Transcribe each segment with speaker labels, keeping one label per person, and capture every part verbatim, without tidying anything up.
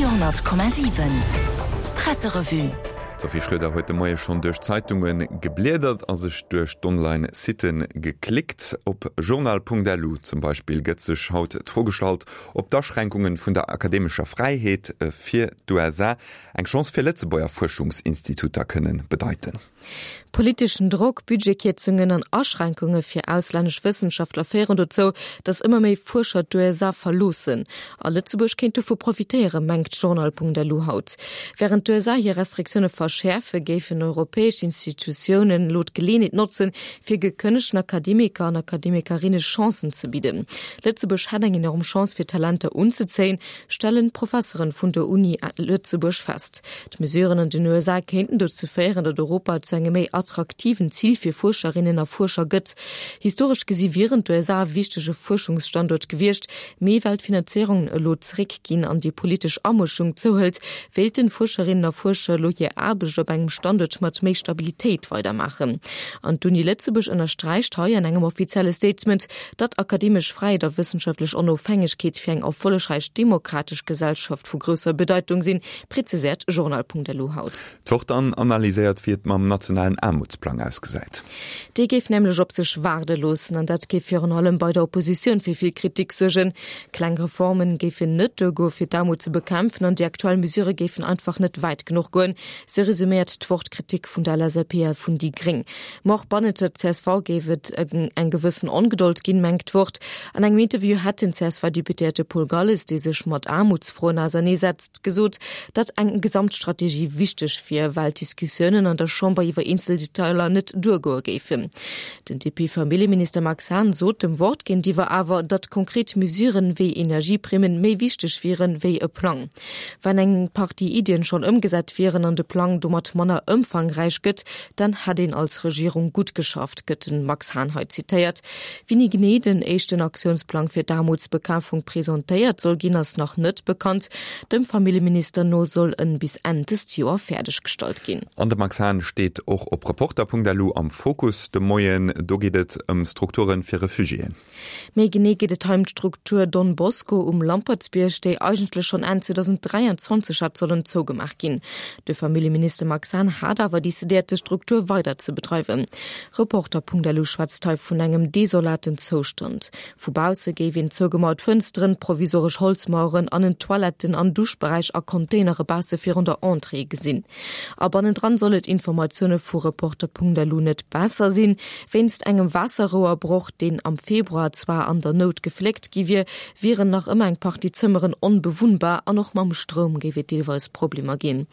Speaker 1: Radio Komma siwen Presserevue.
Speaker 2: D'Sophie Schröder huet de Moie schonn duerch d'Zeitunge gebliedert a sech duerch d'Online-Sitten geklickt. Op journal Punkt L U zum Beispill gëtt sech haut d'Fro gestallt, ob d'Aschränkunge vun der akademescher Fräiheet fir d'U S A eng Chance fir Lëtzebuerger Fuerschungsinstituter kënne bedeiten.
Speaker 3: Politeschen Drock, Budgetkierzungen an Aschränkunge fir auslännesch Wëssenschaftler féieren dozou, datt ëmmer méi Fuerscher d'U S A verloossen. A Lëtzebuerg kéint dovu profitéieren, mengt journal Punkt L U haut. Wärend d'U S A hir Restriktioune verschäerfen, géifen europäesch Institutiounen elo d'Geleeënheet notzen, fir gekënnegten Akademiker an Akademikerinne Chancen ze bidden. Lëtzebuerg hätt eng enorm Chance fir Talenter unzezéien, stellen Professeren vun der Uni Lëtzebuerg fest. D'Mesuren an den U S A kéinten dozou féieren, datt Europa zu engem méi attraktiven Zil fir Fuerscherinnen a Fuerscher gëtt. Historesch gesi wieren d'U S A e wichtege Fuerschungsstanduert gewiescht, mee well d'Finanzéierungen elo zeréckginn an déi politesch Amëschung zouhëlt, wéilten Fuerscherinnen a Fuerscher elo hir Aarbecht op engem Standuert mat méi Stabilitéit weidermaachen. An d'Uni Lëtzebuerg ënnersträicht hei an engem offizielle Statement, datt akademesch Fräiheet a wëssenschaftlech Onofhängegkeet fir eng erfollegräich demokratesch Gesellschaft vu grousser Bedeitung sinn, präziséiert journal Punkt L U haut.
Speaker 2: D'Wort dann analyséiert, wéi et mam nationalen Aarmutsplang ausgesäit.
Speaker 3: Dee géif nämlech op sech waarde loossen an dat géif virun allem bei der Oppositioun fir vill Kritik suergen. Kleng Reformen géifen net duergoen, fir d'Aarmut ze bekämpfen an déi aktuell Mesure géifen einfach net wäit genuch goen, sou resuméiert d'Wort d'Kritik vun der L S A P a vun déi Gréng. Ma och bannent der C S V géif et eng gewëssen Ongedold ginn, mengt d'Wort. An engem Interview hätt den C S V-Deputéierte Paul Galles, dee sech mat Aarmutsfroen auserneesetzt, gesot, datt eng Gesamtstrategie wichteg wier, well d'Diskussiounen an der Chamber iwwer eenzel Detailer net duergoe géifen. Den D P-Familljeminister Max Hahn sot dem Wort géintiwwer awer, datt konkret Mesuren wéi Energieprimmen méi wichteg wieren wéi e Plang. Wann eng Partie Iddien schonn ëmgesat wieren an de Plang domat manner ëmfangräich gëtt, dann hätt een als Regierung gutt geschafft, gëtt de Max Hahn hei zitéiert. Wéini genee den éischten Aktiounsplang fir d'Aarmutsbekämpfung presentéiert soll ginn, ass nach net bekannt. Dem Familljeminister no soll en bis Enn dëst Joer fäerdeggestallt ginn.
Speaker 2: An de Max Hahn steet och op Reporter Punkt L U am Fokus de Moien. Do geet et ëm Strukture fir Refugiéen.
Speaker 3: Méi genee geet et hei ëm d'Struktur Don Bosco um Lampertsbierg, déi eigentlech schonn Enn zweedausend dräianzwanzeg hätt sollen zougemaach ginn. De Familljeminister Max Hahn hat awer decidéiert, d'Struktur weider ze bedreiwen. Reporter Punkt L U schwätzt hei vun engem desolaten Zoustand. Vu bausse géif een zougemauert Fënsteren, provisoresch Holzmaueren an en Toiletten an Duschberäich a Containere bausse virun der Entrée gesinn. A bannendran soll et Informatioune vu Reporter Punkt L U net besser sinn. Wéinst engem Waasserrouerbroch, deen am Februar zwar an der Nout gefléckt gi wier, wieren nach ëmmer eng Partie Zëmmeren onbewunnbar an och mam Stroum géif et deelweis Problemer ginn.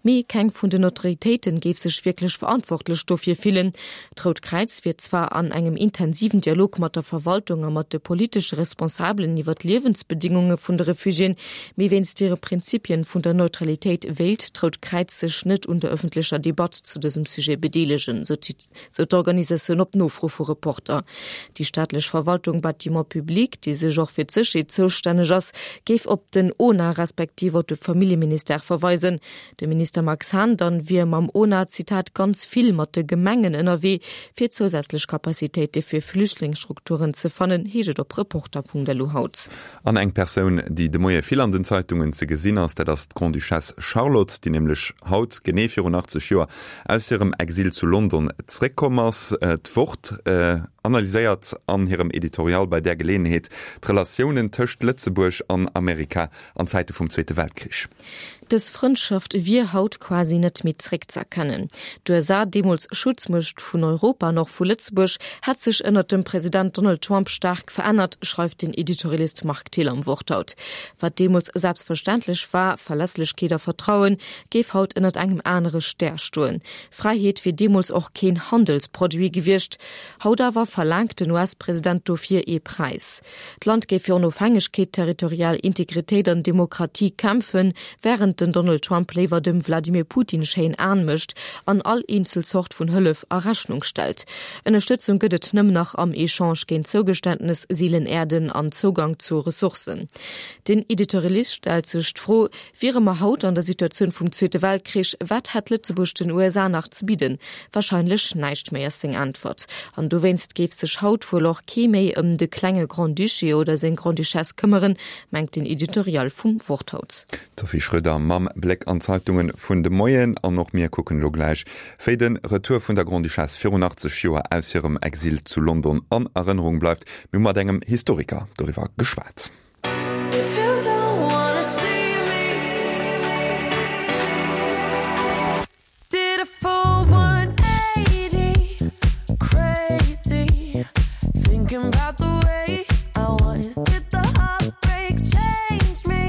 Speaker 3: Mee keng vun den Autoritéiten géif sech wierklech verantwortlech dofir fillen. D'Rout Kräiz wier zwar an engem intensiven Dialog mat der Verwaltung a mat de politesche Responsabelen iwwer d'Liewensbedingunge vun de Refugiéen, mee wéinst hire Prinzipien vun der Neutralitéit wéilt d'Rout Kräiz sech net un der ëffentlecher Debatt zu dësem Sujet bedeelegen, sou d'Organisatioun op Nofro vu Reporter. Déi staatlech Verwaltung Bâtiments publics, déi sech och fir d'Sécherheet zoustänneg ass, géif op den O N A respektiv op de Familljeministère verweisen. De Minister Max Hahn dann wier mam O N A, Zitat, ganz vill mat de Gemengen ënnerwee, fir zousätzlech Kapazitéite fir Flüchtlingsstrukturen ze fannen, heescht et op Reporter Punkt L U haut.
Speaker 2: An eng Persoun, déi de Moie vill an den Zeitungen ze gesinn ass, dat ass d'Grande-Duchesse Charlotte, déi nämlech haut genee virun achtzeg Joer aus hirem Exil zu London zréckkomm ass. D'Wort analyséiert an hirem Editorial bei där Geleeënheet d'Relatiounen tëscht Lëtzebuerg an Amerika an Zäite vum Zweete Weltkrich.
Speaker 3: Dës Frëndschaft wier haut quasi net méi zréckz'erkennen. D'U S A, deemools Schutzmuecht vun Europa an och vu Lëtzebuerg, hätt sech ënnert dem President Donald Trump staark verännert, schreift den Editorialist Marc Thill am Wort haut. Wat deemools selbstverständlech war, Verlässlechkeet a Vertrauen, géif haut ënnert engem anere Stär stoen. Fräiheet wier deemools och keen Handelsproduit gewiescht. Haut awer verlaangt den U S-President dofir ee Präis. D'Land géif fir Onofhängegkeet, territorial Integritéit an Demokratie kämpfen, wärend den Donald Trump léiwer dem Wladimir Putin schéin Aen mécht an all eenzel Zort vun Hëllef a Rechnung stellt. Ënnerstëtzung gëtt et nëmmen nach am Echange géint Zougeständnes, Seelen-Äerden an Zougang zu Ressourcen. Den Editorialist stellt sech d'Fro, Wiere mer haut an der Situatioun vum Zweete Weltkrich, wat hätt Lëtzebuerg den U S A nach ze bidden? Warscheinlech näischt méi, ass seng Äntwert. An dowéinst géif sech haut wuel och kee méi ëm de klenge Grand-Duché oder seng Grande-Duchesse këmmeren, mengt den Editorial vum Wort haut.
Speaker 2: D'Sophie Schröder mam Bléck an d'Zeitunge vun de Moien an och mir kucken elo gläich, wéi de Retour vun der Grande-Duchesse virun achtzeg Joer aus hirem Exil zu London an Erënnerung bleift. Mir hu mat engem Historiker doriwwer geschwat.
Speaker 4: If you don't wanna see me Did a full one eighty crazy thinking about the way I was. Did the heartbreak change me?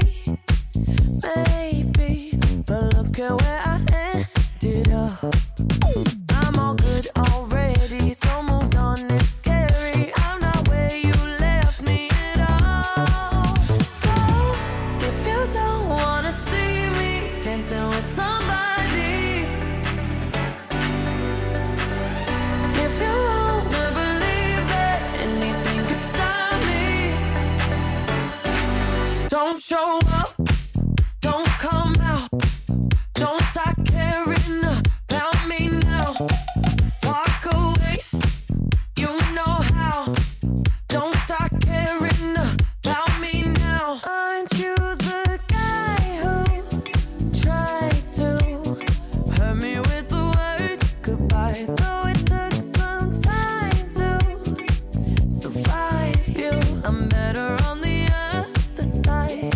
Speaker 4: Maybe, but look at where I ended up. I'm all good already, so moved on, it's scary. I'm not where you left me at all. So if you don't wanna see me dancing with somebody, if you wanna believe that anything could stop me, don't show up, don't come out, don't start caring about me now. Walk away, you know how. Don't start caring about me now. Aren't you the guy who tried to hurt me with the word goodbye? Though it took some time to survive you, I'm better on the other side.